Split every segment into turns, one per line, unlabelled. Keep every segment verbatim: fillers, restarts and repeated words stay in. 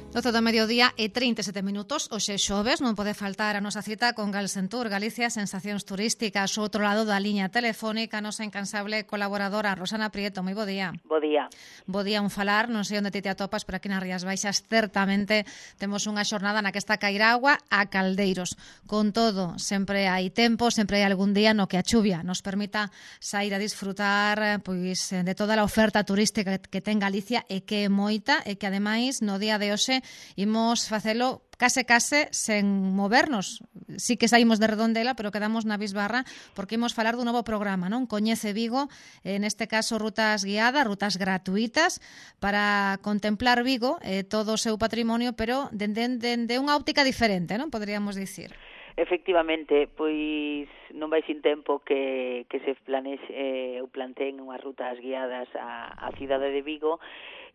doce do mediodía e trinta e sete minutos. Hoxe xoves non pode faltar a nosa cita con Galsentur, Galicia Sensacións Turísticas. O outro lado da liña telefónica, a nosa incansable colaboradora Rosana Prieto. Moi bo día.
Bo día.
Bo día, un falar, non sei onde ti te atopas, pero aquí nas Rías Baixas certamente temos unha xornada na que está cair agua a caldeiros. Con todo, sempre hai tempo, sempre hai algún día no que a chuvia nos permita sair a disfrutar pois de toda a oferta turística que ten Galicia e que é moita e que ademais no día de hoxe imos facelo case case sen movernos. Sí que saímos de Redondela, pero quedamos na Bisbarra porque imos falar dun novo programa, non? Coñece Vigo, en este caso rutas guiadas, rutas gratuitas para contemplar Vigo e eh, todo o seu patrimonio, pero dende, dende unha óptica diferente, non? Poderíamos dicir.
Efectivamente, pois non vai sin tempo que, que se planexe eh, ou planteen unhas rutas guiadas á, á cidade de Vigo.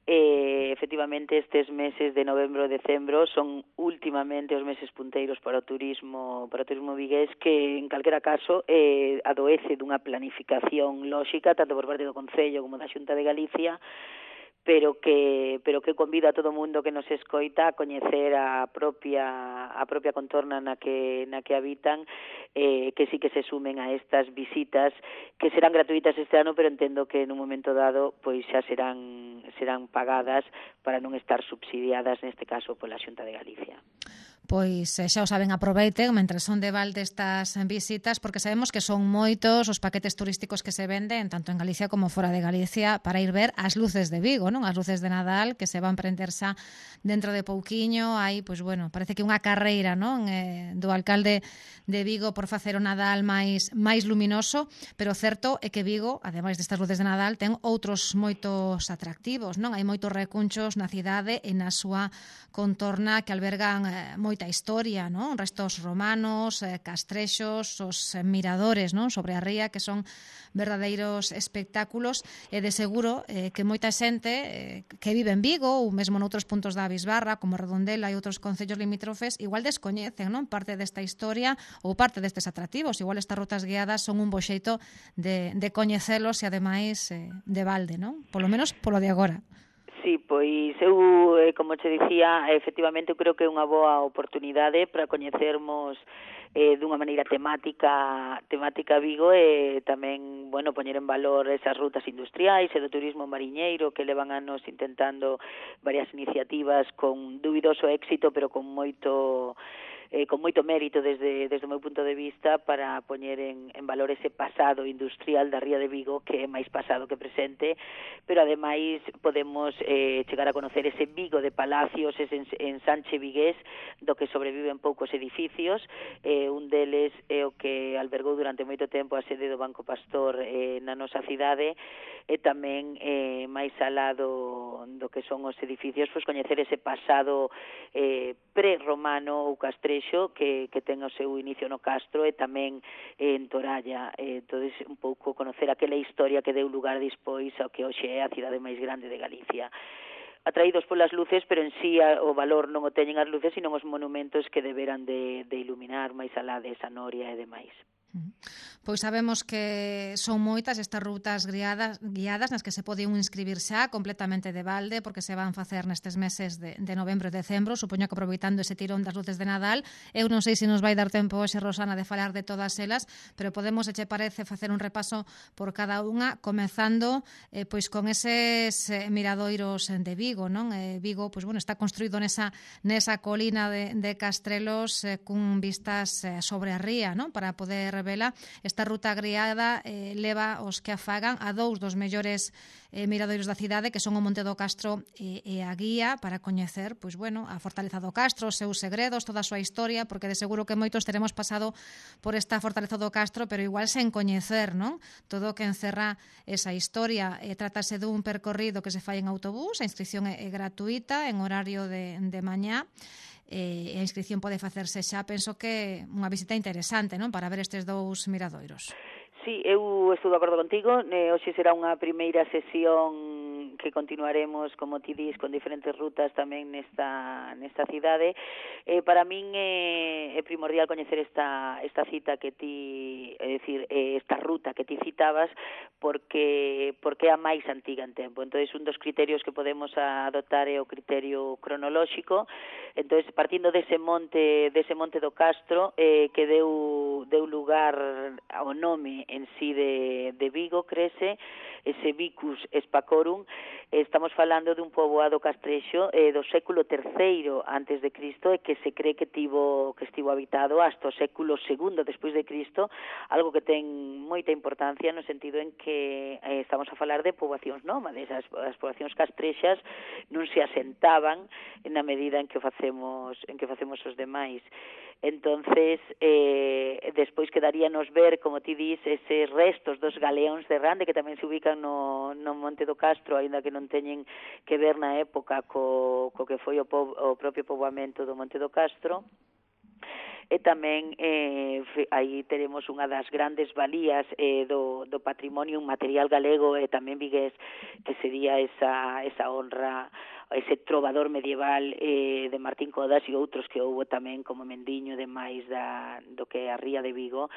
Eh, efectivamente, estes meses de novembro e decembro son últimamente os meses punteiros para o turismo para o turismo vigués, que en calquera caso eh, adoece dunha planificación lóxica tanto por parte do Concello como da Xunta de Galicia, pero que pero que convida a todo o mundo que nos escoita a coñecer a propia a propia contorna na que na que habitan, eh, que sí que se sumen a estas visitas que serán gratuitas este ano, pero entendo que en un momento dado pois xa serán serán pagadas para non estar subsidiadas neste caso pola Xunta de Galicia.
Pois xa o saben, aproveiten mentre son de balde estas visitas, porque sabemos que son moitos os paquetes turísticos que se venden tanto en Galicia como fora de Galicia para ir ver as luces de Vigo, non? As luces de Nadal que se van prender xa dentro de pouquiño. Hai, pois bueno, parece que unha carreira, non? Eh, do alcalde de Vigo por facer o Nadal máis máis luminoso, pero certo é que Vigo, ademais destas luces de Nadal, ten outros moitos atractivos, non? Hai moitos recunchos na cidade e na súa contorna que albergan eh, moita historia, non? Restos romanos, eh, castrexos, os eh, miradores, non? Sobre a ría, que son verdadeiros espectáculos, e de seguro eh, que moita xente eh, que vive en Vigo ou mesmo noutros puntos da Bisbarra, como Redondela e outros concellos limítrofes, igual descoñecen, non? Parte desta historia ou parte destes atractivos. Igual estas rutas guiadas son un bo xeito de, de coñecelos e ademais eh, de balde, non? Polo menos polo de agora.
Sí, pois eu, como che dicía, efectivamente eu creo que é unha boa oportunidade para coñecermos eh, dunha maneira temática temática Vigo e tamén, bueno, poñer en valor esas rutas industriais e do turismo mariñeiro que levan anos intentando varias iniciativas con dubidoso éxito, pero con moito eh, con moito mérito desde, desde o meu punto de vista para poñer en, en valor ese pasado industrial da ría de Vigo, que é máis pasado que presente, pero ademais podemos eh, chegar a conocer ese Vigo de palacios, ese ensanche vigués do que sobreviven poucos edificios. Eh, un deles é o que albergou durante moito tempo a sede do Banco Pastor eh, na nosa cidade, e tamén eh, máis alá do, do que son os edificios, pois coñecer ese pasado eh, pre-romano ou castrexo que, que ten o seu inicio no Castro e tamén eh, en Toralla. Eh, entonces, un pouco conocer aquela historia que deu lugar despois ao que hoxe é a cidade máis grande de Galicia. Atraídos polas luces, pero en sí o valor non o teñen as luces, sino os monumentos que deberan de, de iluminar máis alá desa noria e demais.
Pois sabemos que son moitas estas rutas guiadas, guiadas nas que se pode un inscribir xa completamente de balde, porque se van facer nestes meses de, de novembro e decembro, supoño que aproveitando ese tirón das luces de Nadal. Eu non sei se nos vai dar tempo hoxe, Rosana, de falar de todas elas, pero podemos, se che parece, facer un repaso por cada unha, comezando eh, pois con eses eh, miradoiros de Vigo, non? Eh, Vigo, pois bueno, está construído nesa, nesa colina de, de Castrelos eh, cun vistas eh, sobre a ría, non? Para poder vela. Esta ruta guiada eh, leva os que a fagan a dous dos mellores eh, miradoiros da cidade, que son o Monte do Castro e, e a guía para coñecer, pois bueno, a fortaleza do Castro, os seus segredos, toda a súa historia, porque de seguro que moitos teremos pasado por esta fortaleza do Castro, pero igual sen coñecer, non? Todo o que encerra esa historia. Eh, trátase dun percorrido que se fai en autobús, a inscripción é, é gratuita, en horario de, de mañá, e a inscripción pode facerse xa. Penso que unha visita interesante, non? Para ver estes dous miradoiros.
Sí, eu estou de acordo contigo. Eh, hoxe será unha primeira sesión tamén que continuaremos, como ti dis, con diferentes rutas tamén nesta nesta cidade. Eh, para min é, é primordial coñecer esta esta cita que ti, é dicir, esta ruta que ti citabas, porque porque é a máis antiga en tempo. Entonces, un dos criterios que podemos adoptar é o criterio cronolóxico. Entonces, partindo dese monte, dese monte do Castro, eh, que deu deu lugar ao nome en sí de, de Vigo, crese, ese Vicus Spacorum, estamos falando dun poboado castrexo eh, do século terceiro antes de Cristo, e que se cree que tivo que estivo habitado hasta o século segundo despois de Cristo, algo que ten moita importancia no sentido en que eh, estamos a falar de poboacións nómades. As, as poboacións castrexas non se asentaban na medida en que o facemos en que facemos os demais. Entonces, eh, despois quedaríanos ver, como ti dis, eses restos dos galeóns de Rande, que tamén se ubican no, no Monte do Castro, aínda que non teñen que ver na época co, co que foi o, po, o propio poboamento do Monte do Castro. E tamén eh, aí teremos unha das grandes valías eh, do, do patrimonio material galego e tamén vigués, que sería esa, esa honra, ese trovador medieval eh, de Martín Codas e outros que houve tamén como Mendiño de máis da, do que a ría de Vigo,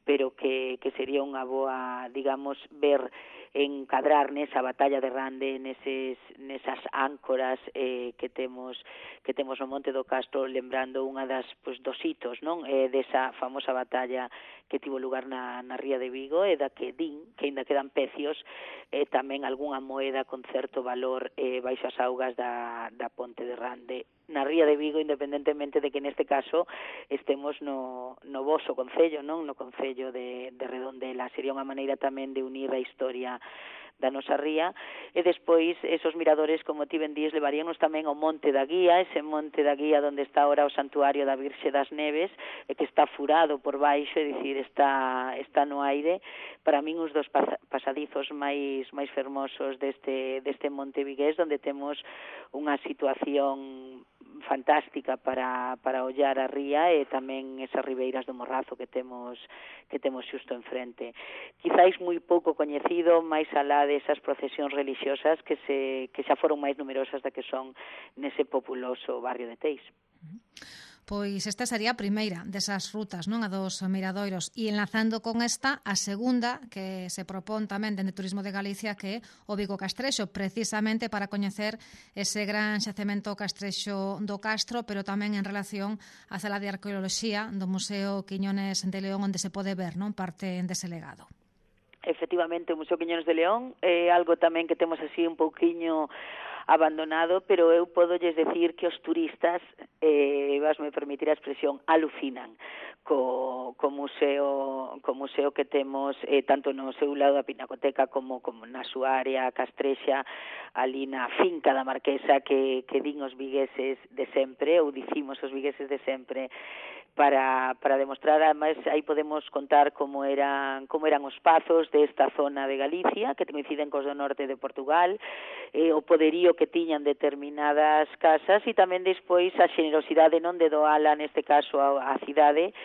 pero que, que sería unha boa, digamos, ver encadrar nesa batalla de Rande, neses, nesas áncoras eh, que temos que temos no Monte do Castro, lembrando unha das, pues, dos hitos, non? Eh, desa famosa batalla que tivo lugar na, na ría de Vigo, e da que din que ainda quedan pecios, eh, tamén algunha moeda con certo valor eh, baixo as augas da, da Ponte de Rande na ría de Vigo, independentemente de que neste caso estemos no, no voso concello, non? No concello de, de Redondela. Sería unha maneira tamén de unir a historia da nosa ría, e despois esos miradores, como ti ben dís, levaríanos tamén ao Monte da Guía, ese Monte da Guía onde está ahora o Santuario da Virxe das Neves, e que está furado por baixo, é dicir, está, está no aire. Para min, os dos pasadizos máis máis fermosos deste, deste Monte Vigués, onde temos unha situación fantástica para, para ollar a ría, e tamén esas ribeiras do Morrazo que temos que temos xusto enfrente. Quizáis moi pouco coñecido, máis alá desas procesións religiosas que se que xa foron máis numerosas da que son nese populoso barrio de Teis.
Pois esta sería a primeira desas rutas, non? A dos miradoiros. E enlazando con esta, a segunda que se propón tamén dende Turismo de Galicia, que é o Vigo Castrexo, precisamente para coñecer ese gran xacemento castrexo do Castro, pero tamén en relación á sala de arqueoloxía do Museo Quiñones de León, onde se pode ver, non, parte dese legado.
Efectivamente, o Museo Quiñones de León é algo tamén que temos así un pouquiño abandonado, pero eu podolles decir que os turistas, eh, vasme permitir a expresión, alucinan co, co museo co museo que temos, eh, tanto no seu lado da Pinacoteca como, como na súa área castrexa, ali na finca da Marquesa, que, que din os vigueses de sempre, ou dicimos os vigueses de sempre, para, para demostrar, además, aí podemos contar como eran como eran os pazos desta zona de Galicia, que coinciden cos do norte de Portugal, eh, o poderío que tiñan determinadas casas, e tamén despois a xenerosidade non de doala, neste caso, a, a cidade.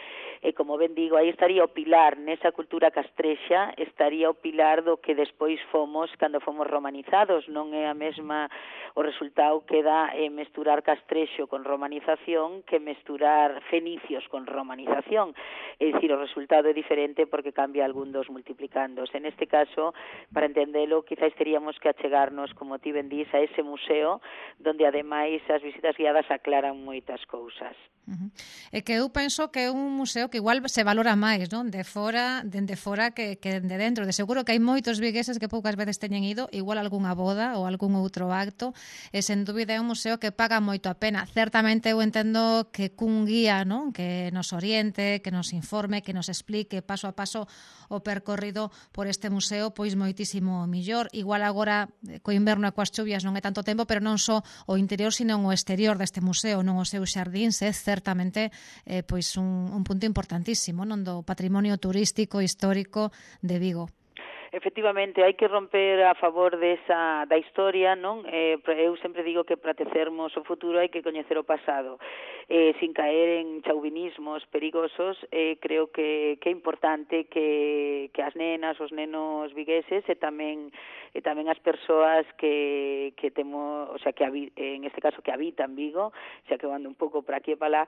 E, como ben digo, aí estaría o pilar, nesa cultura castrexa, estaría o pilar do que despois fomos cando fomos romanizados. Non é a mesma, o resultado que dá é mesturar castrexo con romanización que mesturar fenicios con romanización. É dicir, o resultado é diferente porque cambia algún dos multiplicandos. En este caso, para entendelo, quizás teríamos que achegarnos, como ti ben dís, a ese museo, donde ademais as visitas guiadas aclaran moitas cousas.
Uh-huh. É que eu penso que é un museo que igual se valora máis, non? De fora, dende fora que, que de dentro. De seguro que hai moitos vigueses que poucas veces teñen ido, igual algunha boda ou algún outro acto, e sen dúbida é un museo que paga moito a pena. Certamente eu entendo que cun guía, non? Que nos oriente, que nos informe, que nos explique paso a paso o percorrido por este museo, pois moitísimo millor. Igual agora, co inverno e coas chuvias non é tanto tempo, pero non só o interior, sino o exterior deste museo, non os seus xardíns, é certamente eh, pois un, un punto importantísimo, non, do patrimonio turístico histórico de Vigo.
Efectivamente, hai que romper a favor desa da historia, non? Eh, eu sempre digo que para tecermos o futuro hai que coñecer o pasado. Eh, sin caer en chauvinismos perigosos, eh, creo que, que é importante que, que as nenas, os nenos vigueses e tamén e tamén as persoas que, que temos, o sea, que en este caso que habitan Vigo, xa que eu ando un pouco por aquí e para lá,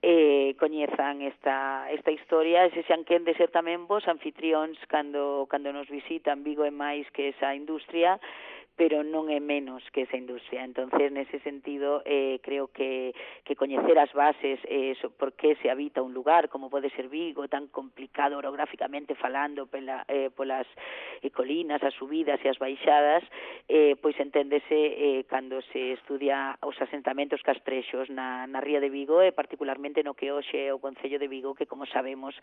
eh, coñezan esta, esta historia e se xan quen de ser tamén vos anfitrións cando, cando nos visitan. Vigo é máis que esa industria, pero non é menos que esa industria. Entonces, nese sentido, eh, creo que, que coñecer as bases, eh, so, por que se habita un lugar, como pode ser Vigo, tan complicado orográficamente falando, pela, eh, polas eh, colinas, as subidas e as baixadas, eh, pois enténdese eh, cando se estudia os asentamentos castrexos na, na ría de Vigo, e particularmente no que hoxe é o Concello de Vigo, que, como sabemos,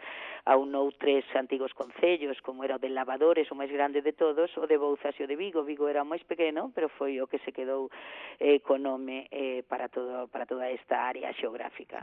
aunou tres antigos concellos, como era o de Lavadores, o máis grande de todos, o de Bouzas e o de Vigo. Vigo era máis pequeno, pero foi o que se quedou eh, co nome eh, para, todo, para toda esta área xeográfica.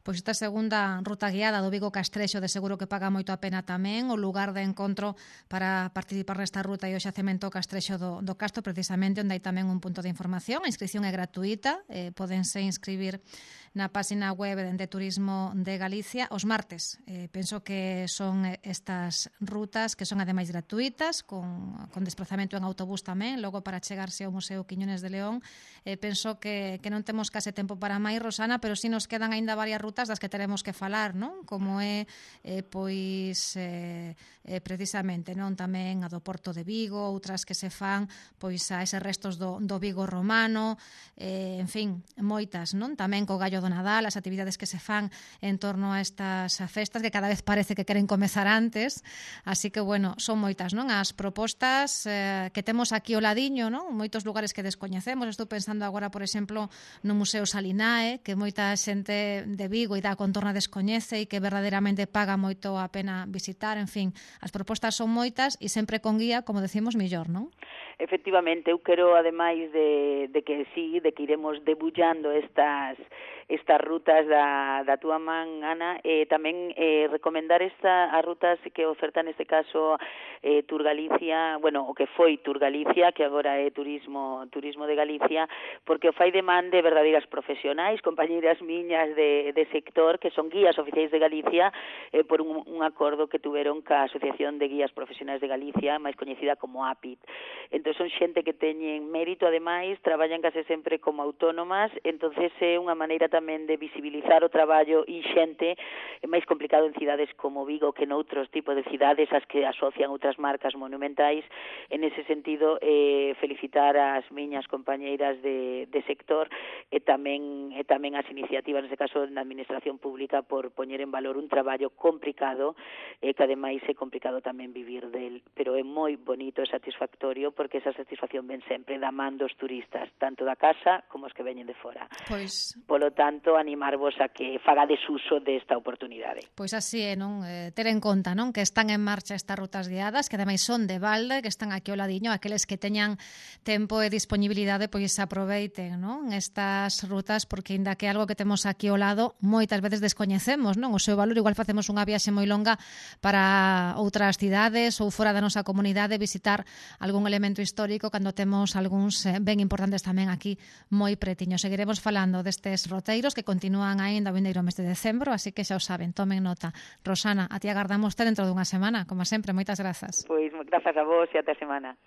Pois esta segunda ruta guiada do Vigo Castrexo de seguro que paga moito a pena tamén, o lugar de encontro para participar nesta ruta e o xacemento Castrexo do, do Castro, precisamente, onde hai tamén un punto de información. A inscripción é gratuita, eh, podense inscribir na página web de Turismo de Galicia os martes. Eh, penso que son estas rutas que son ademais gratuitas, con, con desplazamento en autobús tamén, logo para chegarse ao Museo Quiñones de León. Eh, penso que, que non temos case tempo para máis, Rosana, pero si nos quedan aínda varias rutas das que teremos que falar, non? Como é, eh, pois, eh, eh, precisamente, non? Tamén a do Porto de Vigo, outras que se fan, pois, a eses restos do, do Vigo romano, eh, en fin, moitas, non? Tamén co Gallo do Nadal, as actividades que se fan en torno a estas festas que cada vez parece que queren comezar antes, así que, bueno, son moitas, non? As propostas eh, que temos aquí ao ladiño, non? Moitos lugares que descoñecemos. Estou pensando agora, por exemplo, no Museo Salinae, que moita xente de Vigo e da contorna descoñece e que verdadeiramente paga moito a pena visitar. En fin, as propostas son moitas e sempre con guía, como decimos, millor, non?
Efectivamente, eu quero, ademais de, de que sí, de que iremos debullando estas estas rutas da, da túa man, Ana, eh, tamén eh, recomendar esta, as rutas que oferta neste caso eh, Tour Galicia, bueno, o que foi Tour Galicia, que agora é Turismo Turismo de Galicia, porque o fai de man de verdadeiras profesionais, compañeiras miñas de, de sector, que son guías oficiais de Galicia, eh, por un, un acordo que tuveron ca Asociación de Guías Profesionais de Galicia, máis coñecida como A P I T. Entón, son xente que teñen mérito, ademais, traballan case sempre como autónomas, entonces é unha maneira tamén de visibilizar o traballo inxente, é máis complicado en cidades como Vigo que noutros tipos de cidades as que asocian outras marcas monumentais. En ese sentido, eh, felicitar as miñas compañeiras de, de sector e tamén, e tamén as iniciativas, neste caso, na administración pública, por poñer en valor un traballo complicado, e eh, que ademais é complicado tamén vivir del, pero é moi bonito e satisfactorio, porque esa satisfacción ven sempre da man dos turistas, tanto da casa como os que veñen de fora.
Pois,
polo tanto, animarvos a que fagades uso desta oportunidade.
Pois así é, non? Eh, ter en conta, non? Que están en marcha estas rutas guiadas, que ademais son de balde, que están aquí ao ladiño, aqueles que teñan tempo e disponibilidade, pois aproveiten, non? Estas rutas, porque ainda que algo que temos aquí ao lado, moitas veces descoñecemos, non? O seu valor, igual facemos unha viaxe moi longa para outras cidades ou fora da nosa comunidade, visitar algún elemento histórico, cando temos algúns ben importantes tamén aquí moi pretiños. Seguiremos falando destes roteiros que continúan aínda o vindeiro mes de decembro, así que xa o saben, tomen nota. Rosana, a ti agardamos ter dentro dunha semana, como sempre, moitas grazas.
Pois grazas a vos e até a semana.